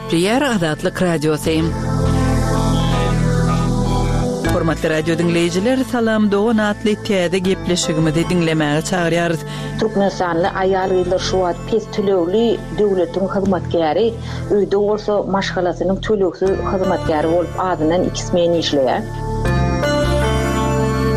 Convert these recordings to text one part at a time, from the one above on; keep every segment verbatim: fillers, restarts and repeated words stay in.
Gepleýär Azatlyk Radiosy. Hormatly radio diňleýjiler, Salam dogan atly täze gepleşigimizi diňlemäge çagyrýarys. Türkmenistanly aýal-gyzlar şu wagt pes tölegli döwletiň hyzmatkäri, öýde bolsa maşgalasynyň tölegsiz hyzmatkäri bolup azyndan iki smen işleýär.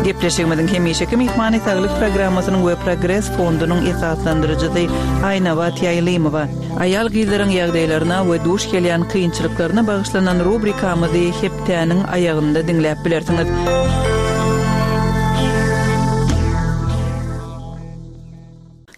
Gepleşigimiziň hemişeki myhmany Saglyk programmasynyň we Progres fondunyň esaslandyryjysy Aýnabat Ýaýlymowa. Aýal-gyzlaryň ýagdaýlaryna we duş gelýän kynçylyklaryna bagyşlanan rubrikamyzy hepdäniň aýagynda diňläp bilersiňiz.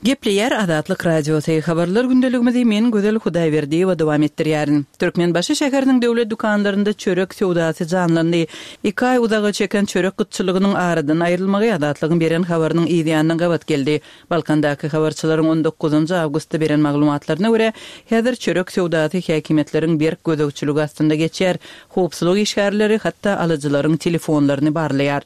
Gepleýär Azatlyk Radiosy. Habarlar gündeligimizi men Gözel Hudaýberdiýewa dowam etdirýärin. Türkmenbaşy şäheriniň döwlet dükanlarynda çörek söwdasy janlandy. Iki aý uzaga çeken çörek gytçylygynyň aradan aýrylmagy Azatlygyň beren habarynyň yz ýanyna gabat geldi. Balkandaky habarçylaryň on dokuzynjy awgustda beren maglumatlaryna görä, häzir çörek söwdasy häkimiýetleriň berk gözegçiligi astynda geçýär. Howpsuzlyk işgärleri hatda alyjylaryň telefonlaryny barlaýar.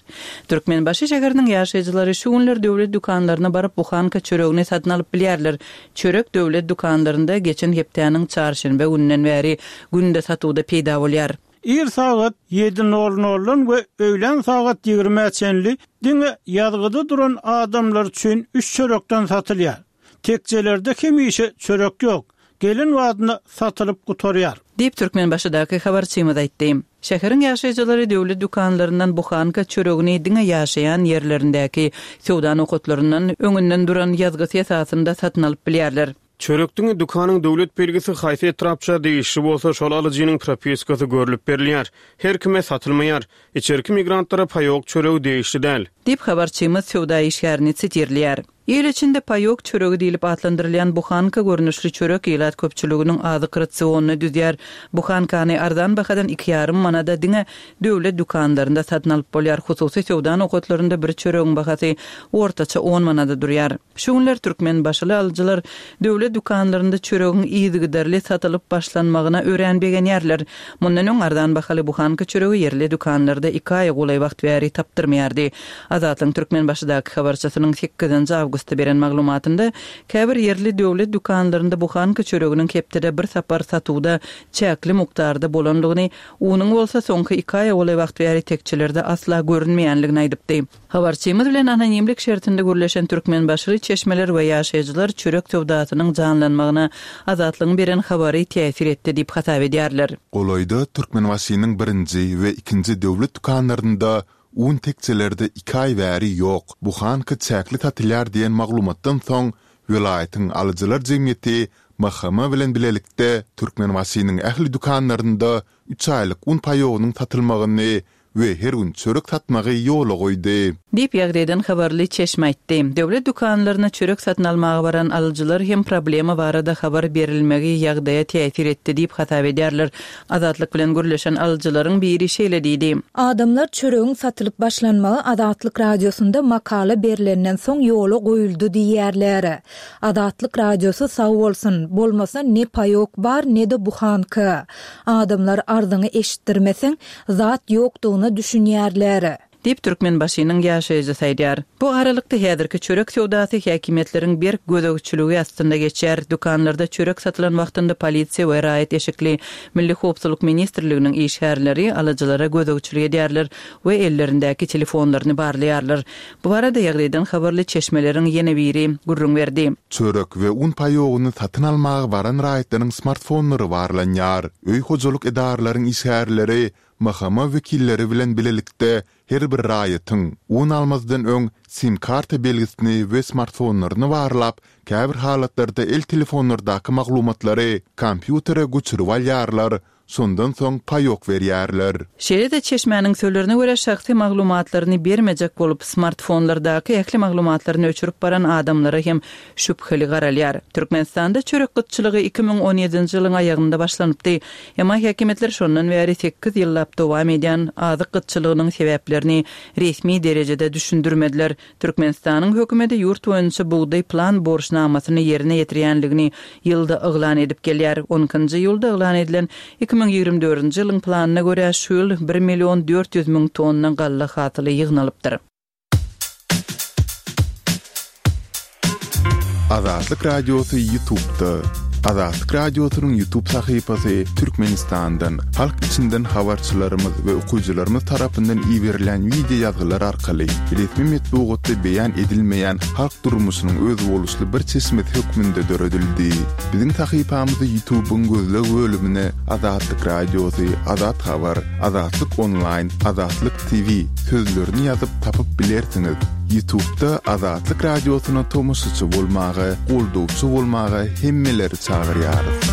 Türkmenbaşy şäheriniň ýaşaýjylary şu günler döwlet dükanlaryna baryp buhanka çöregini satyn alyp bilýärler. Çörek döwlet dükanlarynda geçen hepdäniň çarşenbe gününden bäri günde satuwda peýda bolýar. Ir sagat ýedi nol noldan we öýlän sagat ýigrimä çenli diňe ýazgyda duran adamlar üçin üç çörekden satylýar. Tekjelerde hemişe çörek ýok. Gelen wagtynda satylyp gutarýar. Diýip Türkmenbaşydaky habarçymyz aýtdy. Şäheriň ýaşaýjylary döwlet dükanlaryndan buhanka çöregini diňe ýaşaýan ýerlerindäki söwda nokatlaryndan öňünden duran ýazgysy esasynda satyn alyp bilýärler. Çörek diňe dükanyň döwlet belgisi haýsy etrapça degişli bolsa şol alyjynyň propiskasy görlüp berilýär. Her kime satylmaýar. Içerki migrantlara paýok çöregi degişli däl. Diýip habarçymyz söwda işgärini sitirleýär. Il içinde paýok çöregi diýlip atlandyrylýan buhanka görnüşli çörek ilat köpçüliginiň azyk rasionyny düzýär. Buhankany arzan bahadan iki ýarym manada diňe döwlet dükanlarynda satyn alyp bolýar. Hususy söwda nokatlarynda bir çöregiň bahasy ortaça on manada durýar. Şu günler Türkmenbaşyly alyjylar döwlet dükanlarynda çöregiň yzygiderli satylyp başlanmagyna örän begenýärler. Mundan öň arzan bahaly buhanka çöregi ýerli dükanlarda iki aý golaý wagt bäri tapdyrmaýardy. Azatlygyň Türkmenbaşydaky habarçysynyň sekizinji awgustda beren maglumatynda käbir ýerli döwlet dükanlarynda buhanka çöreginiň hepdede bir sapar satuwda çäkli mukdarda bolanlygyny, unuň bolsa soňky iki aý golaý wagt bäri tekçelerde asla görünmeýänligini aýdypdy. Habarçymyz bilen anonimlik şertinde gürleşen Türkmenbaşyly çeşmeler we ýaşaýjylar çörek söwdasynyň janlanmagyna Azatlygyň beren habary täsir etdi diýip hasap edýärler. Golaýda Türkmenbaşynyň birinji we ikinji döwlet dükanlarynda un tekçelerde iki aý bäri ýok. Buhanka çäkli satylýar diýen maglumatdan soň welaýatyň alyjylar jemgyýeti M H M bilen bilelikde Türkmenbaşynyň ähli dükanlarynda üç aýlyk un paýogynyň satylmagyny we her gün çörek satmagy ýola goýdy. Diýip ýagdaýdan habarly çeşme aýtdy. Döwlet dükanlaryna çörek satyn almaga baran alyjylar hem problema barada habar berilmegi ýagdaýa täsir etdi diýip hasap edýärler. Azatlyk bilen gürleşen alyjylaryň biri şeýle diýdi. Adamlar çöregiň satylyp başlanmagy Azatlyk radiosynda makala berilenden soň ýola goýuldy diýýärler. Azatlyk radiosy sag bolsun, bolmasa ne paýok bar ne de buhanka. Adamlar arzyňy eşitdirmeseň zat ýokdugyna düşünýärler. Diýip Türkmenbaşynyň ýaşaýjysy aýdýar. Bu aralykda häzirki çörek söwdasy häkimiýetleriň berk gözegçiligi astynda geçýär. Dükanlarda çörek satylan wagtynda polisiýa we raýat eşikli Milli Howpsuzlyk Ministrliginiň işgärleri alyjylara gözegçilik edýärler we ellerindäki telefonlaryny barlaýarlar. Bu barada ýagdaýdan habarly çeşmeleriň ýene biri gürrüň berdi. Çörek we un paýogyny satyn almaga baran raýatlaryň smartfonlary barlanýar. Öý hojalyk edaralaryň işgärleri M H M wekilleri bilen bilelikde her bir raýatyň un almazdan öň SIM karta belgisini we smartfonlaryny barlap, käbir halatlarda el telefonlardaky maglumatlary kompýutere göçürip alýarlar, şondan soň paýok berýärler. Şeýle-de çeşmäniň sözlerine görä şahsy maglumatlaryny bermejek bolup smartfonlardaky ähli maglumatlaryny öçürip baran adamlara hem şübheli garalýar. Türkmenistanda çörek gytçylygy iki müň on ýedinji ýylyň aýagynda başlanypdy. Emma häkimiýetler şondan bäri sekiz ýyllap dowam edýän azyk gytçylygynyň sebäplerini resmi derejede düşündirmediler. Türkmenistanyň hökümeti ýurt boýunça bugdaý plan borçnamasyny ýerine ýetirýänligini ýylda yglan edip gelýär. On ikinji ýylda yglan edilen iki müň ýigrimi dördünji ýylyň planyna görä şu ýyl bir million dört ýüz müň tonna galla hasyly ýygnalypdyr. Azatlyk Radiosy YouTube'da. Azatlyk Radiosynyň YouTube sahypasy Türkmenistandan, halk içinden habarçylarymyz we okyjylarymyz tarapyndan iberilen wideo ýazgylar arkaly resmi metbugatda beýan edilmeýän halk durmuşynyň özboluşly bir çeşmesi hökmünde döredildi. Biziň sahypamyzy YouTube-yň gözleg bölümine Azatlyk Radiosy, Azat Habar, Azatlyk Onlaýn, Azatlyk T V sözlerini ýazyp tapyp bilersiňiz. YouTube-da Azatlyk Radiosyna tomaşaçy bolmaga, goldawçy bolmaga hemmeleri çagyrýarys.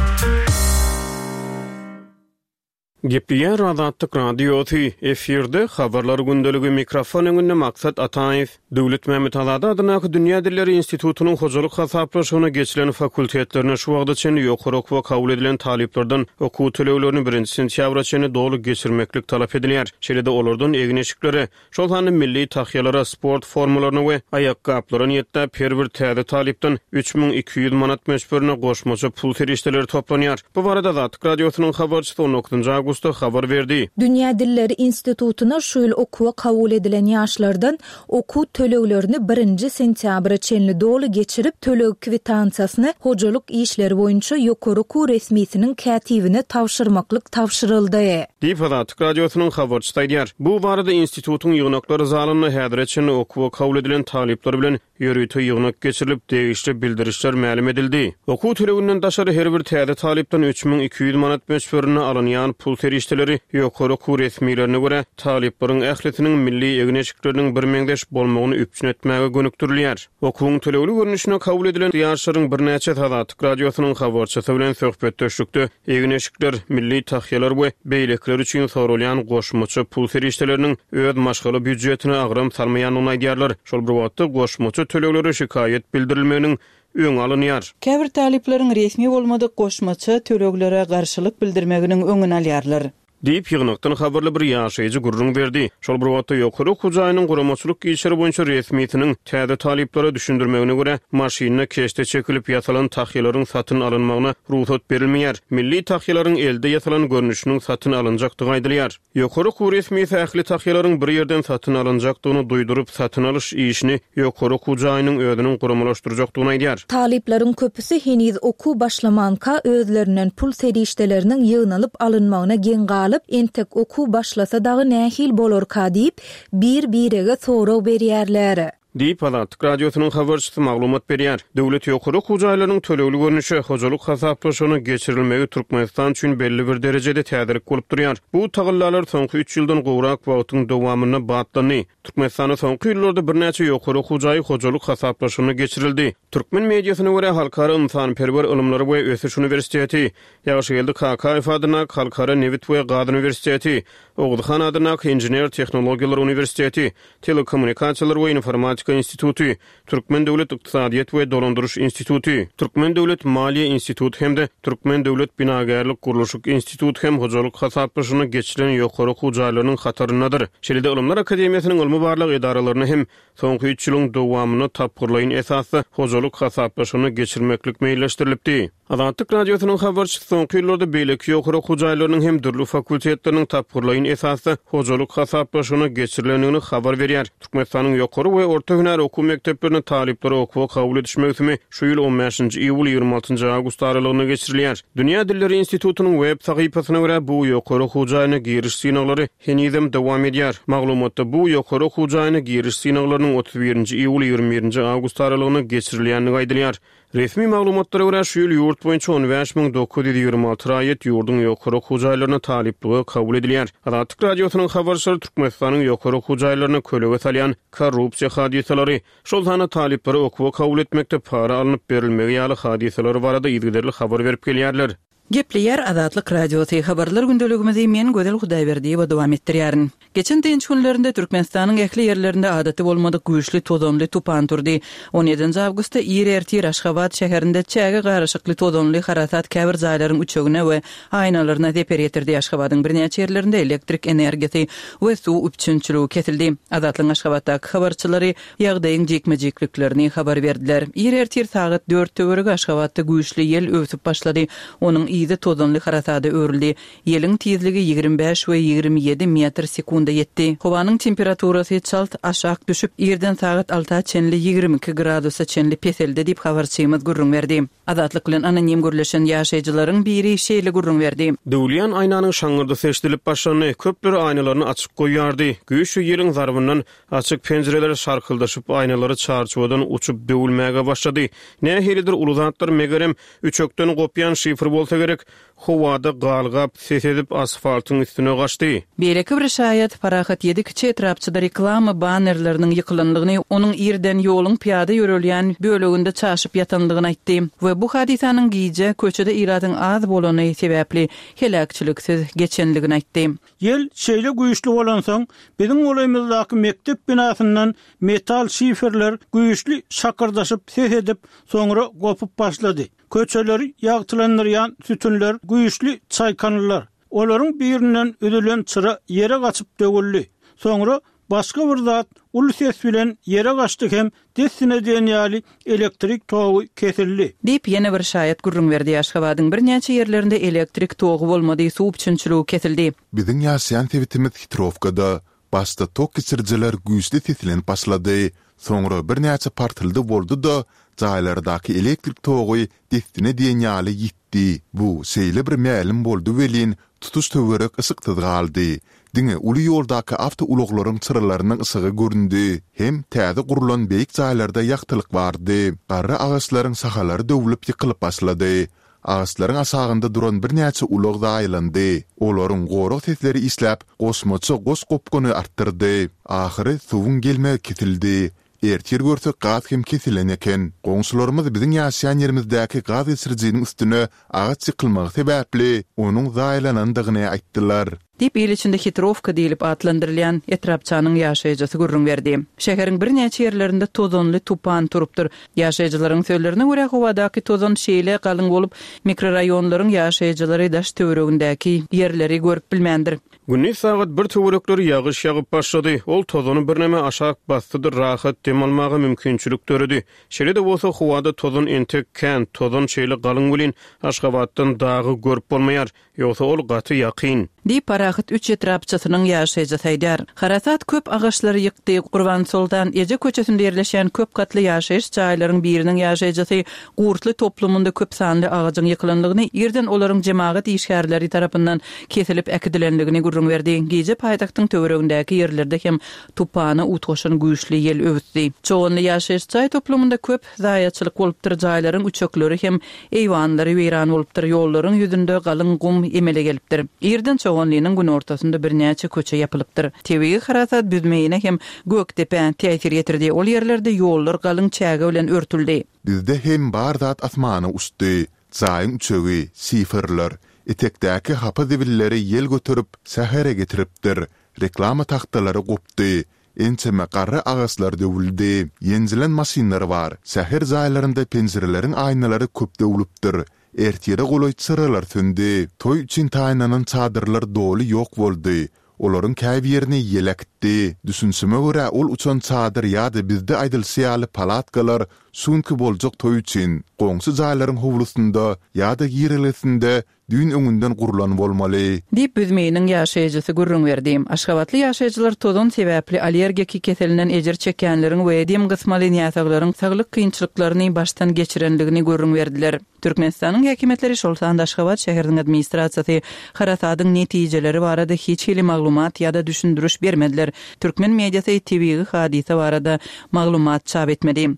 Gepleýär Azatlyk Radiosy, efirde habarlar gündeligi, mikrofon öňünde Maksat Ataýew. Döwletmämmet Azady adyndaky Dünýä dilleri institutynyň hojalyk hasaplaşygyna geçilen fakultetlerine şu wagta çenli ýokary okuwa kabul edilen talyplardan okuw töleglerini birinji sentýabra çenli doly geçirmeklik talap edilýär. Şeýle-de olardan egin-eşiklere, şol sanda milli tahýalara, sport formalaryna we aýakgaplara niýetläp her bir täze talypdan üç müň iki ýüz manat möçberinde goşmaça pul serişdeleri toplanýar. Bu barada Azatlyk Radiosynyň habarçysy on dokuzynjy awgustda habar berdi. Dünýä dilleri institutyna şu ýyl okuwa kabul edilen ýaşlardan okuw töleglerini birinji sentýabra çenli doly geçirip, töleg kwitansiýasyny hojalyk işleri boýunça ýokary okuw resmisiniň kätibine tabşyrmaklyk tabşyryldy. Diýip, Azatlyk Radiosynyň habarçysy aýdýar. Bu barada institutyň ýygnaklar zalynda häzire çenli okuwa kabul edilen talyplar bilen ýörite ýygnak geçirilip, degişli bildirişler mälim edildi. Okuw töleginden daşary her bir täze talypdan üç müň iki ýüz manat möçberinde alynýan pul serişdeleri ýokary okuw resmilerine görä, talyplaryň ählisiniň milli egin-eşikleriniň birmeňzeş bolmagyny üpjün etmäge gönükdirilýär. Okuwyň tölegli görnüşine kabul edilen ýaşlaryň birnäçesi Azatlyk Radiosynyň habarçysy bilen söhbetdeşlikde egin-eşikler, milli tahýalar we beýlekiler üçin soralýan goşmaça pul serişdeleriniň öz maşgala býujetine agram salmaýandygyny aýdýarlar. Şol bir wagtda goşmaça töleglere şikaýat bildirilmeginiň öňi alynýar. Käbir talyplaryň resmi bolmadyk goşmaça töleglere garşylyk bildirmeginiň öňüni alýarlar. Diýip, ýygnakdan habarly bir ýaşaýjy gürrüň berdi. Şol bir wagtda ýokary okuw jaýynyň guramaçylyk işleri boýunça resmisiniň täze talyplara düşündirmegine görä, maşynda keşde çekilip ýasalan tahýalaryň satyn alynmagyna rugsat berilmeýär. Milli tahýalaryň elde ýasalan görnüşiniň satyn alynjakdygy aýdylýar. Ýokary okuw resmisi ähli tahýalaryň bir ýerden satyn alynjakdygyny duýduryp, satyn alyş işini ýokary okuw jaýynyň özüniň guramalaşdyrjakdygyny aýdýar. Talyplaryň köpüsi heniz okuw başlamanka özlerinden pul serişdeleriniň ýygnalyp alynmagyna geň galyp, entek okuw başlasa dagy nähili bolarka diýip, bir-birege sorag berýärler. Diýip, Azatlyk Radiosynyň habarçysy maglumat berýär. Döwlet ýokary okuw jaýlarynyň tölegli görnüşe hojalyk hasaplaşygyna geçirilmegi Türkmenistan üçin belli bir derejede täzelik bolup durýar. Bu tagallalar soňky üç ýyldan gowrak wagtyň dowamynda batlandy. Türkmenistanda soňky ýyllarda birnäçe ýokary okuw jaýy hojalyk hasaplaşygyna geçirildi. Türkmen mediasyna görä, Halkara ynsanperwer ylymlary we ösüş uniwersiteti, Ýagşygeldi Kakaýew adyndaky Halkara nebit we gaz uniwersiteti, Oguzhan adyndaky Inžener-tehnologiýalar uniwersiteti, Telekommunikasiýalar we informatika instituty, Türkmen döwlet ykdysadyýet we dolandyryş instituty, Türkmen döwlet maliýe instituty hem-de Türkmen döwlet binagärlik-gurluşyk instituty hem hojalyk hasaplaşygyna geçilen ýokary okuw jaýlarynyň hataryndadyr. Şeýle-de Ylymlar akademiýasynyň ylmy-barlag edaralaryna hem soňky üç ýylyň dowamynda tapgyrlaýyn esasda hojalyk hasaplaşygyna geçirmeklik meýilleşdirilipdi. Azatlyk Radiosynyň habarçysy soňky ýyllarda beýleki ýokary okuw jaýlarynyň hem dürli fakultetleriniň tapgyrlaýyn esasda hojalyk hasaplaşygyna geçirilendigini habar berýär. Türkmenistanyň ýokary we orta hünär okuw mekdeplerine talyplary okuwa kabul ediş möwsümi şu ýyl on bäşinji iýul ýigrimi altynjy awgust aralygynda geçirilýär. Dünýä dilleri institutynyň web sahypasyna görä, bu ýokary okuw jaýyna giriş synaglary henizem dowam edýär. Maglumatda bu ýokary okuw jaýyna giriş synaglarynyň otuz birinji iýul ýigrimi birinji awgust aralygynda geçirilýändigi aýdylýar. Resmi maglumatlara görä, şu ýyl ýurt boýunça on bäş müň dokuz ýüz ýigrimi alty raýat ýurduň ýokary okuw jaýlaryna talyplyga kabul edilýär. Azatlyk Radiosynyň habarçylary Türkmenistanyň ýokary okuw jaýlaryna kölege salýan korrupsiýa hadysalary, şol sanda talyplary okuwa kabul etmekde para alnyp berilmegi ýaly hadysalary barada yzygiderli habar berip gelýärler. Gepleýär Azatlyk Radiosy habarlar gündeligimizi men Gözel Hudaýberdiýewa dowam etdirýärin. Geçen dynç günlerinde Türkmenistanyň ähli ýerlerinde adaty bolmadyk güýçli tozanly tupan turdy. On ýedinji awgustda ir ertir Aşgabat şäherinde çäge garyşykly tozanly harasat käbir jaýlaryň üçegine we aýnalaryna zeper ýetirdi. Aşgabadyň birnäçe ýerlerinde elektrik energiýasy we suw üpjünçiligi kesildi. Azatlygyň Aşgabatdaky habarçylary ýagdaýyň jikme-jikliklerini habar berdiler. Ir ertir sagat dört töweregi Aşgabatda güýçli ýel öwsüp başlady. Onuň yzy tozanly harasada öwrüldi. Ýeliň tizligi ýigrimi bäş we ýigrimi ýedi metr sekunda ýetdi. Howanyň temperaturasy çalt aşak düşüp, irden sagat alta çenli ýigrimi iki gradusa çenli peseldi diýip, habarçymyz gürrüň berdi. Azatlyk bilen anonim gürleşen ýaşaýjylaryň biri şeýle gürrüň berdi. Döwülýän aýnanyň şaňňyrdysy eşidilip başlandy. Köpler aýnalaryny açyk goýýardy. Güýçli ýeliň zarbyndan açyk penjireler şarkyldaşyp, aýnalary çarçuwadan uçup döwülmäge başlady. Nähilidir uly zatlar, megerem, üçekden gopýan şifr bolsa gerek, howada galgap, ses edip, asfaltyň üstüne gaçdy. Beýleki bir şaýat Parahat ýedi kiçi etrapçada reklama bannerleriniň ýykylandygyny, onuň irden ýoluň pyýada ýörelýän böleginde çaşyp ýatandygyny aýtdy we bu hadysanyň gije köçede ilatyň az bolany sebäpli heläkçiliksiz geçendigini aýtdy. Ýel şeýle güýçli bolansoň, biziň golaýymyzdaky mekdep binasyndan metal şiferler güýçli şakyrdaşyp ses edip, soňra gopup başlady. Köçeleri ýagtylandyrýan sütünler güýçli çaýkandylar. Olaryň birinden üzülen çyra ýere gaçyp döwüldi. Soňra başga bir zat uly ses bilen ýere gaçdy hem dessine diýen ýaly elektrik togy kesildi. Diýip, ýene bir şaýat gürrüň berdi. Aşgabadyň birnäçe ýerlerinde elektrik togy bolmady, suw üpjünçiligi kesildi. Biziň ýaşaýan sebitimiz Hitrowkada. Başda tok geçirijiler güýçli seslenip başlady. Soňra birnäçe partyldy boldy-da, jaýlardaky elektrik togy dessine diýen ýaly ýitdi. Bu şeýle bir mälim boldy welin, tutuş töwerek yşyksyz galdy. Diňe uly ýoldaky awtoulaglaryň çyralarynyň yşygy göründi. Hem täze gurlan beýik jaýlarda ýagtylyk bardy. Garry agaçlaryň şahalary döwlüp ýykylyp başlady. Agaçlaryň aşagynda duran birnäçe ulag zaýalandy. Olaryň gorag sesleri işläp, goşmaça goş gopguny artdyrdy. Ahyry suwuň gelmegi kesildi. Ertir görsek gaz hem kesilen eken. Goňşularymyz biziň ýaşaýan ýerimizdäki gaz geçirijiniň üstüne agaç ýykylmagy sebäpli onuň zaýalanandygyny aýtdylar. Diýip, il içinde Hitrowka diýlip atlandyrylýan etrapçanyň ýaşaýjysy gürrüň berdi. Şäheriň birnäçe ýerlerinde tozanly tupan turupdyr. Ýaşaýjylaryň sözlerine görä, howadaky tozan şeýle galyň bolup, mikroraýonlaryň ýaşaýjylary daş-töweregindäki ýerleri görüp bilmändir. Gündiz sagat bir töwerekleri ýagyş ýagyp başlady. Ol tozany birneme aşak basdydyr, rahat dem almaga mümkinçilik döredi. Şeýle-de bolsa, howada tozan entek kän, tozan şeýle galyň welin, Aşgabatdan dagy görüp bolmaýar. Ýogsa ol gaty ýakyn. Diýip, Parahat üç etrapçasynyň ýaşaýjysy aýdýar. Harasat köp agaçlary ýykdy. Gurbansoltan eje köçesinde ýerleşýän köp gatly ýaşaýyş jaýlaryň biriniň ýaşaýjysy Gurtly toplumynda köp sanly agajyň ýykylandygyny, irden olaryň jemagat işgärleri tarapyndan kesilip äkidilendigini gürrüň berdi. Gije paýtagtyň töweregindäki ýerlerde hem tupana utgaşan güýçli ýel öwüsdi. Çoganly ýaşaýyş jaý toplumynda köp zaýaçylyk bolupdyr, jaýlaryň üçekleri hem eýwanlary weýran bolupdyr, ýollaryň ýüzünde galyň gum emele gelipdir. Irden Çoganlynyň günortasynda birnäçe köçe ýapylypdyr. Tebigy harasat Büzmeýine hem Gökdepä täsir ýetirdi. Ol ýerlerde ýollar galyň çäge bilen örtüldi. Bizde hem bar zat asmana uçdy. Jaýyň üçegi, şiferler, etekdäki hapa zibilleri ýel göterip, şähere getiripdir. Reklama tagtalary gopdy. Ençeme garry agaçlar döwüldi. Ýenjilen maşynlar bar. Şäher jaýlarynda penjireleriň aýnalary köp döwlüpdir. Ertire golaý çyralar söndi. Toý üçin taýynlanan çadyrlar doly ýok boldy. Olaryň käbirini ýel äkitdi. Düşünişime görä, ol uçan çadyr ýa-da bizde aýdylyşy ýaly palatkalar şu günki boljak toý üçin, goňşy jaýlaryň howlusynda ýa-da girelgesinde düýn öňünden gurlan bolmaly. Diýip, Büzmeýiniň ýaşaýjysy gürrüň berdi. Aşgabatly ýaşaýjylar tozan sebäpli allergiki keselinden ejir çekýänleriň we dem gysmaly näsaglaryň saglyk kynçylyklaryny başdan geçirendigini gürrüň berdiler. Türkmenistanyň häkimiýetleri, şol sanda Aşgabat şäheriniň administrasiýasy harasadyň netijeleri barada hiç hili maglumat ýa-da düşündiriş bermediler. Türkmen mediasy tebigy hadysa barada maglumat çap etmedi.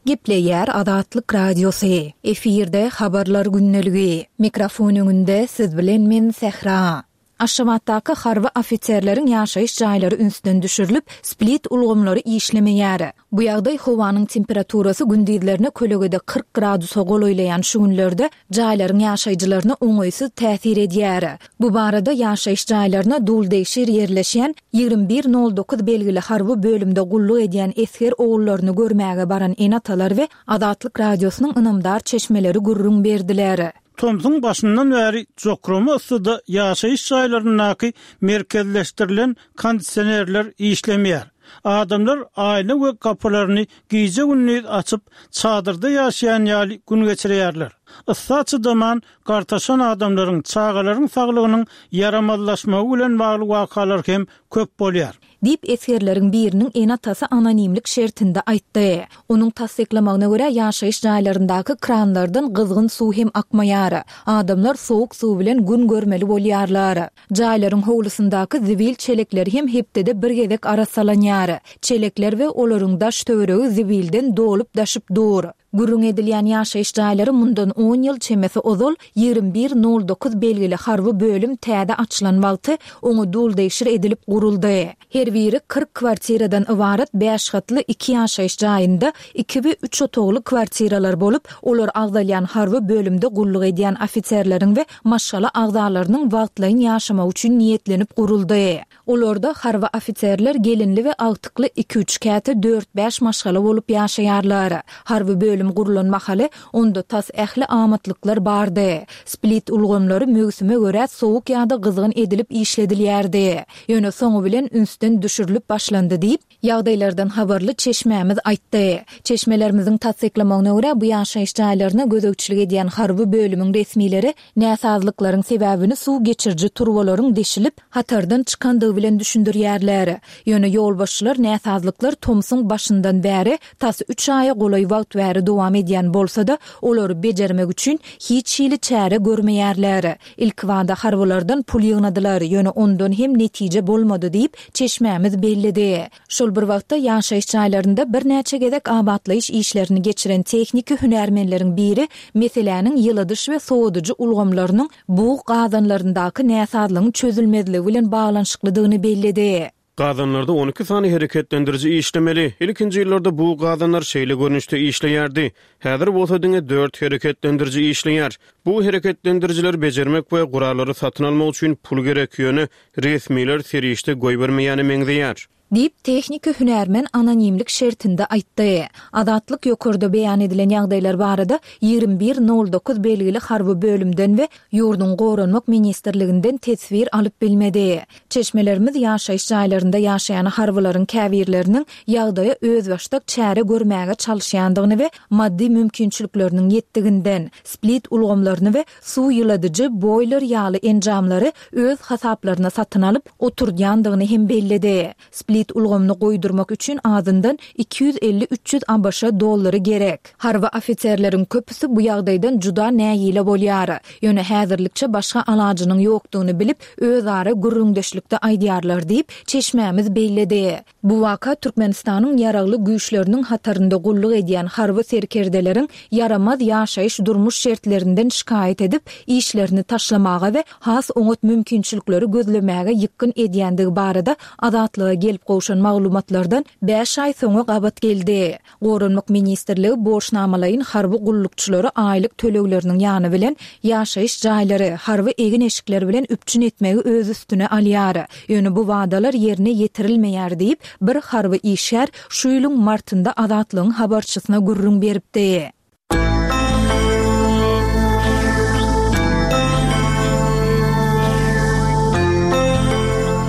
Gepleýär Azatlyk Radiosy. Efirde Habarlar gündeligi. Mikrofon öňünde siz bilen men Sähra. Aşgabatdaky harby ofiserleriň ýaşaýyş jaýlary ünsden düşürilip, split ulgamlary işlemeýär. Bu ýagdaý howanyň temperaturasy gündizlerine kölegede kyrk gradusa golaýlaýan şu günlerde jaýlaryň ýaşaýjylaryna oňaýsyz täsir edýär. Bu barada ýaşaýyş jaýlaryna duldegşir ýerleşýän ýigrimi bir nol dokuz belgili harby bölümde gulluk edýän esger ogullaryny görmäge baran ene-atalar we Azatlyk Radiosynyň ynamdar çeşmeleri gürrüň berdiler. Tomsuň başyndan bäri jokrama yssyda ýaşaýyş jaýlaryndaky merkezleşdirilen kondisionerler işlemeýär. Adamlar aýna we gapylaryny gije-gündiz açyp, çadyrda ýaşaýan ýaly gün geçirýärler. Yssa çydaman gartaşan adamlaryň, çagalaryň saglygynyň ýaramazlaşmagy bilen bagly wakalar hem köp bolýar. Diýip, esgerleriň biriniň ene-atasy anonimlik şertinde aýtdy. Onuň tassyklamagyna görä, ýaşaýyş jaýlaryndaky kranlardan gyzgyn suw hem akmaýar. Adamlar sowuk suw bilen gün görmeli bolýarlar. Jaýlaryň howlusyndaky zibil çelekleri hem hepdede bir gezek arassalanýar. Çelekler we olaryň daş-töweregi zibilden dolup-daşyp dur. Gürrüň edilýän ýaşaýyş jaýlary mundan on ýyl çemesi ozal ýigrimi bir nol dokuz belgili harby bölüm täze açylan wagty oňa duldegşir edilip guruldy. Her biri kyrk kwartiradan ybarat bäş gatly iki ýaşaýyş jaýynda iki we üç otagly kwartiralar bolup, olar agzalýan harby bölümde gulluk edýän ofiserleriň we maşgala agzalarynyň wagtlaýyn ýaşamagy üçin niýetlenip guruldy. Olarda harby ofiserler gelinli we agtykly iki-üç käte dört-bäş maşgala bolup ýaşaýarlar. Harby bölüm gurlan mahaly onda tas ähli amatlyklar bardy. Split ulgamlary möwsüme görä sowuk ýa-da gyzgyn edilip işledilýärdi. Ýöne soňy bilen ünsden düşürilip başlandy diýip, ýagdaýlardan habarly çeşmämiz aýtdy. Çeşmelerimiziň tassyklamagyna görä, bu ýaşaýyş jaýlaryna gözegçilik edýän harby bölümiň resmileri näsazlyklaryň sebäbini suw geçiriji turbalaryň deşilip, hatardan çykandygy bilen düşündirýärler. Ýöne ýolbaşçylar näsazlyklar tomsuň başyndan bäri tas üç aýa golaý wagt bäri dowam edýän bolsa-da, olary bejermek üçin hiç hili çäre görmeýärler. Ilkibada harbylardan pul ýygnadylar, ýöne ondan hem netije bolmady diýip, çeşmämiz belledi. Şol bir wagtda ýaşaýyş jaýlarynda birnäçe gezek abatlaýyş işlerini geçiren tehniki hünärmenleriň biri meseläniň ýyladyş we sowadyjy ulgamlarynyň bug gazanlaryndaky näsazlygyň çözülmezligi bilen baglanyşyklydygyny belledi. Gazanlarda on iki sany hereketlendiriji işlemeli. Ilkinji ýyllarda bu gazanlar şeýle görnüşde işleýärdi. Häzir bolsa diňe dört hereketlendiriji işleýär. Bu hereketlendirijileri bejermek we gurallary satyn almak üçin pul gerek, ýöne resmiler serişde goýbermeýäne meňzeýär. Diýip, tehniki hünärmen anonimlik şertinde aýtdy. Azatlyk ýokarda beýan edilen ýagdaýlar barada ýigrimi bir nol dokuz belgili harby bölümden we ýurduň Goranmak ministrliginden teswir alyp bilmedi. Çeşmelerimiz ýaşaýyş jaýlarynda ýaşaýan harbylaryň käbirleriniň ýagdaýa özbaşdak çäre görmäge çalyşýandygyny we maddy mümkinçilikleriniň ýetdiginden, split ulgamlaryny we suw ýyladyjy boýler ýaly enjamlary öz hasaplaryna satyn alyp oturdýandygyny hem belledi. Split ulgamyny goýdurmak üçin azyndan iki ýüz elli üç ýüz A B Ş dollary gerek. Harby ofiserleriň köpüsi bu ýagdaýdan juda nägile bolýar. Ýöne häzirlikçe başga alajynyň ýokdugyny bilip, özara gürrüňdeşlikde aýdýarlar diýip, çeşmämiz belledi. Bu waka Türkmenistanyň ýaragly güýçleriniň hatarynda gulluk edýän harby serkerdeleriň ýaramaz ýaşaýyş durmuş şertlerinden şikaýat edip, işlerini taşlamaga we has oňat mümkinçilikleri gözlemäge ýykgyn edýändigi barada Azatlyga gelip gowşan maglumatlardan bäş aý soňa gabat geldi. Goranmak ministrligi borçnamalaýyn harby gullukçylary aýlyk tölegleriniň ýany bilen ýaşaýyş jaýlary, harby egin-eşikler bilen üpjün etmegi öz üstüne alýar. Ýöne bu wadalar ýerine ýetirilmeýär diýip, bir harby işgär şu ýylyň martynda Azatlygyň habarçysyna gürrüň beripdi.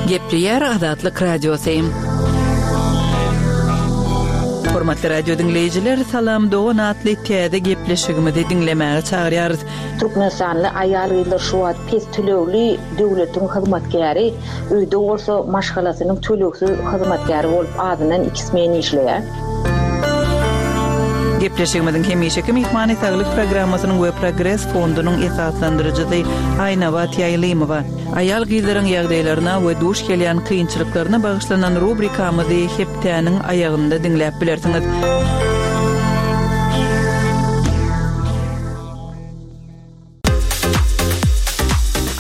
Gepleýär Azatlyk Radiosy. Hormatly radio diňleýjiler, Salam Dogan atly täze gepleşigimizi diňlemäge çagyrýarys. Türkmenistanly aýal-gyzlar şu wagt pes tölegli döwletiň hyzmatkäri, öýde bolsa maşgalasynyň tölegsiz hyzmatkäri bolup azyndan iki smen işleýär. Gepleşigimiziň hemişeki myhmany Saglyk programmasynyň we Progres fondunyň esaslandyryjysy Aýnabat Ýaýlymowa. Aýal-gyzlaryň ýagdaýlaryna we duş gelýän kynçylyklaryna bagyşlanan rubrikamyzy hepdäniň aýagynda diňläp bilersiňiz.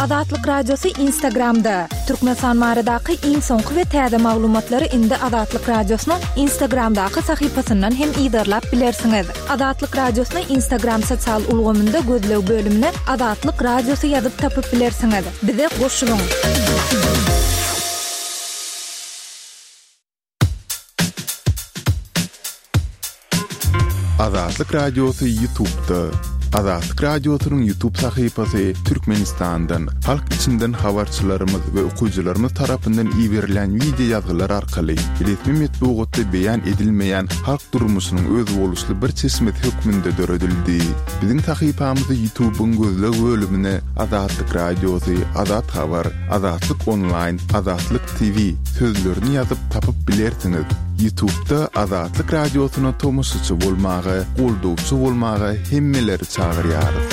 Azatlyk Radiosy Instagramda. Türkmenistan baradaky iň soňky we täze maglumatlary indi Azatlyk Radiosynyň Instagramdaky sahypasyndan hem yzarlap bilersiňiz. Azatlyk Radiosyny Instagram sosial ulgamynda gözleg bölümine Azatlyk Radiosy ýazyp tapyp bilersiňiz. Bize goşulyň. Azatlyk Radiosy YouTube'da. Azatlyk Radiosynyň YouTube sahypasy Türkmenistandan, halk içinden habarçylarymyz we okyjylarymyz tarapyndan iberilen wideo ýazgylar arkaly resmi metbugatda beýan edilmeýän halk durmuşynyň özboluşly bir çeşmesi hökmünde döredildi. Biziň sahypamyzy YouTube-yň gözleg bölümine Azatlyk Radiosy, Azat Habar, Azatlyk Onlaýn, Azatlyk T V sözlerini ýazyp tapyp bilersiňiz. YouTube-da Azatlyk Radiosyna tomaşaçy bolmaga, goldawçy bolmaga hemmeleri çagyrýarys.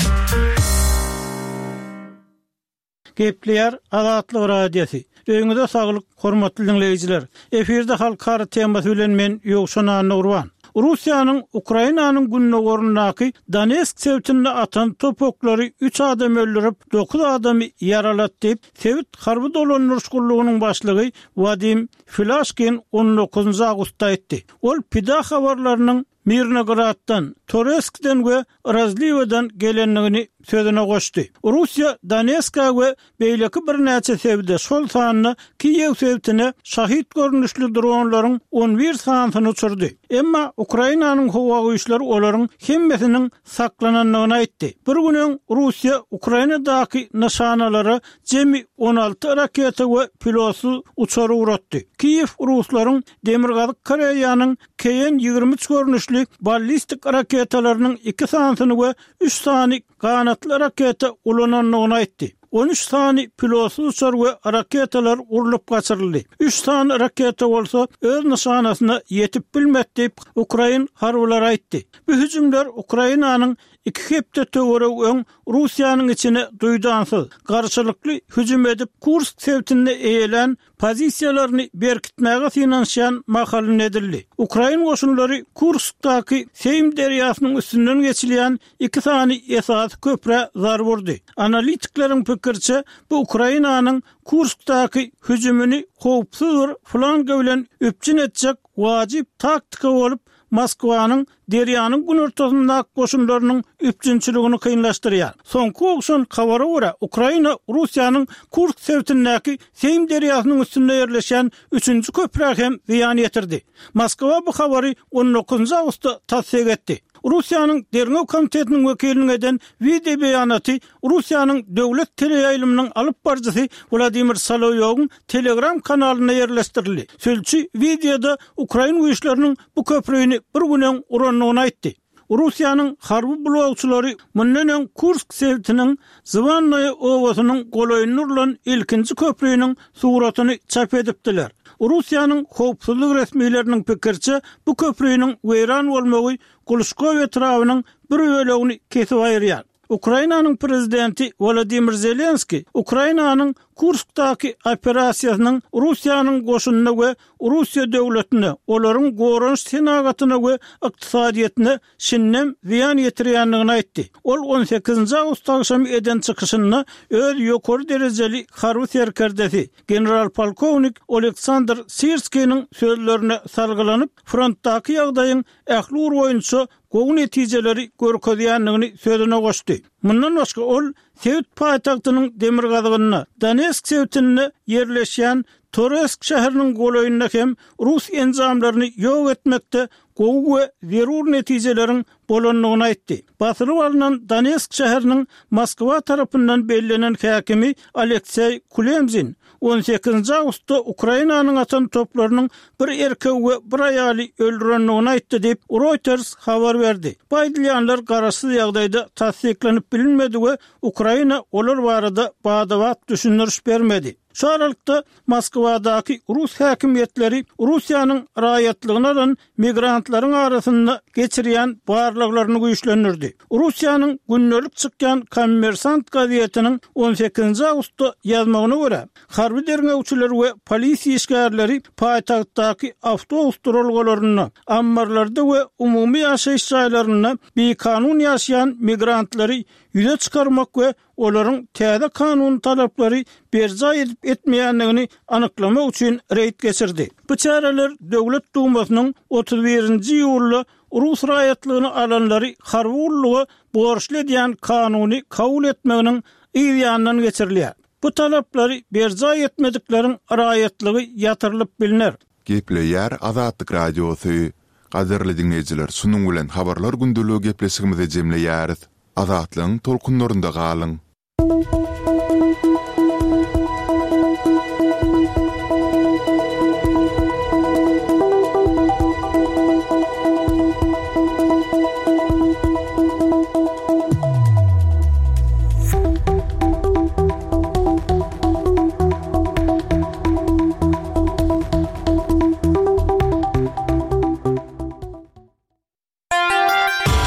Gepleýär Azatlyk Radiosy. Öýüňize saglyk, hormatly diňleýjiler. Efirde halkara temasy bilen men Ýowşan Annagurban. Russiýanyň Ukrainanyň gündogaryndaky Donetsk sebitinde atan top oklary üç adam öldürip, dokuz adamy ýaralatdy diýip, sebit harby dolandyryş gullugynyň başlygy Wadim Filaşkin on dokuzynjy awgustda aýtdy. Ol pida habarlarynyň Mirnograddan, Toreskden we Razliwadan gelendigini sözüne goşdy. Russiýa Donetska we beýleki birnäçe sebite, şol sanda Kiýew sebitine şahid görnüşli dronlaryň on bir sanysyny uçurdy. Emma Ukrainanyň howa güýçleri olaryň hemmesiniň saklanandygyny aýtdy. Bir gün öň Russiýa Ukrainadaky nyşanalara jemi on alty raketa we pilotsyz uçar ugratdy. Kiýew ruslaryň Demirgazyk Koreýanyň K N ýigrimi üç görnüşli ballistik raketalarynyň iki sanysyny we üç sany ganatly raketa ulanandygyny aýtdy. On üç sany pilotsyz uçar we raketalar urlup gaçyryldy. Üç sany raketa bolsa öz nyşanasyna ýetip bilmedi diýip, Ukrain harbylary aýtdy. Bu hüjümler Ukrainanyň iki hepde töweregi öň Russiýanyň içine duýdansyz, garşylykly hüjüm edip Kursk sebitinde eýelän pozisiýalaryny berkitmäge synanyşýan mahalyny edildi. Ukrain goşunlary Kurskdaky Seým derýasynyň üstünden geçilýän iki sany esasy köprä zarba urdy. Analitikleriň pikiriçe, bu Ukrainanyň Kurskdaky hüjümini howpsuz bir flanga bilen üpjün etjek wajyp taktika bolup, Moskwanyň derýanyň günortasyndaky goşunlarynyň üpjünçiligini kynlaşdyrýar. Soňky ogşan habara görä, Ukraina Russiýanyň Kursk sebitindäki Seým derýasynyň üstünde ýerleşen üçünji köprä hem zyýan ýetirdi. Moskwa bu habary on dokuzynjy awgustda tassyk etdi. Russiýanyň Derňew komitetiniň wekiliniň eden wideo beýanaty Russiýanyň döwlet teleýaýlymynyň alyp baryjysy Wladimir Solowyň Telegram kanalynda ýerleşdirildi. Sülçi wideoda Ukrain güýçleriniň bu köprüni bir gün öň urandygyny aýtdy. Russiýanyň harby blokçylary mundan öň Kursk sebitiniň Zwannoye obasynyň golaýynda urulan ilkinji köprüniň suratyny çap edipdiler. Russiýanyň howpsuzlyk resmileriniň pikiriçe, bu köprüniň weýran bolmagy Guluşkow etrabynyň bir bölegini kesip aýyrýar. Ukrainanyň prezidenti Wladimir Zelenski Ukrainanyň Kurskdaky operasiýasynyň Russiýanyň goşunyna we Russiýa döwletine, olaryň goranyş senagatyna we ykdysadyýetine şindem zyýan ýetirýändigini aýtdy. Ol on sekizinji awgust agşamy eden çykyşynda öz ýokary derejeli harby serkerdesi general polkownik Oleksandr Sirskiniň sözlerine salgylanyp, frontdaky ýagdaýyň ähli ugur boýunça gowy netijeleri görkezýändigini sözüne goşdy. Mundan başga ol sebit paýtagtynyň demirgazygynda, Donetsk sebitinde ýerleşýän Toresk şäheriniň golaýynda hem rus enjamlaryny ýok etmekde gowy we zerur netijeleriň bolandygyny aýtdy. Basylyp alnan Donetsk şäheriniň Moskwa tarapyndan bellenen häkimi Alekseý Kulemzin on sekizinji awgustda Ukrainanyň atan toplarynyň bir erkegi we bir aýaly öldürendigini aýtdy diýip Reuters habar berdi. Bu aýdylýanlar garaşsyz ýagdaýda tassyklanyp bilinmedi we Ukraina olar barada badabat düşündiriş bermedi. Şu aralykda Moskwadaky rus häkimiýetleri Russiýanyň raýatlygyny alan migrantlaryň arasynda geçirýän barlaglaryny güýçlendirdi. Russiýanyň gündelik çykýan Kommersant gazetiniň on sekizinji awgustda ýazmagyna görä, harby derňewçiler we polisiýa işgärleri paýtagtdaky awtobus duralgalarynda, ammarlarda we umumy ýaşaýyş jaýlarynda bikanun ýaşaýan migrantlary ýüze çykarmak we olaryň täze kanun talaplary berjaý edip etmeýändigini anyklamak üçin reýd geçirdi. Bu çäreler Döwlet Dumasynyň otuz birinji iýulda rus raýatlygyny alanlary harby gulluga borçly edýän kanuny kabul etmeginiň yz ýanyndan geçirilýär. Bu talaplary berjaý etmedikleriň raýatlygy ýatyrylyp bilner. Gepleýär Azatlyk Radiosy. Gadyrly dinleýjiler, şunuň bilen habarlar gündeligi gepleşigimizi jemleýäris. Azatlygyň tolkunlarynda galyň!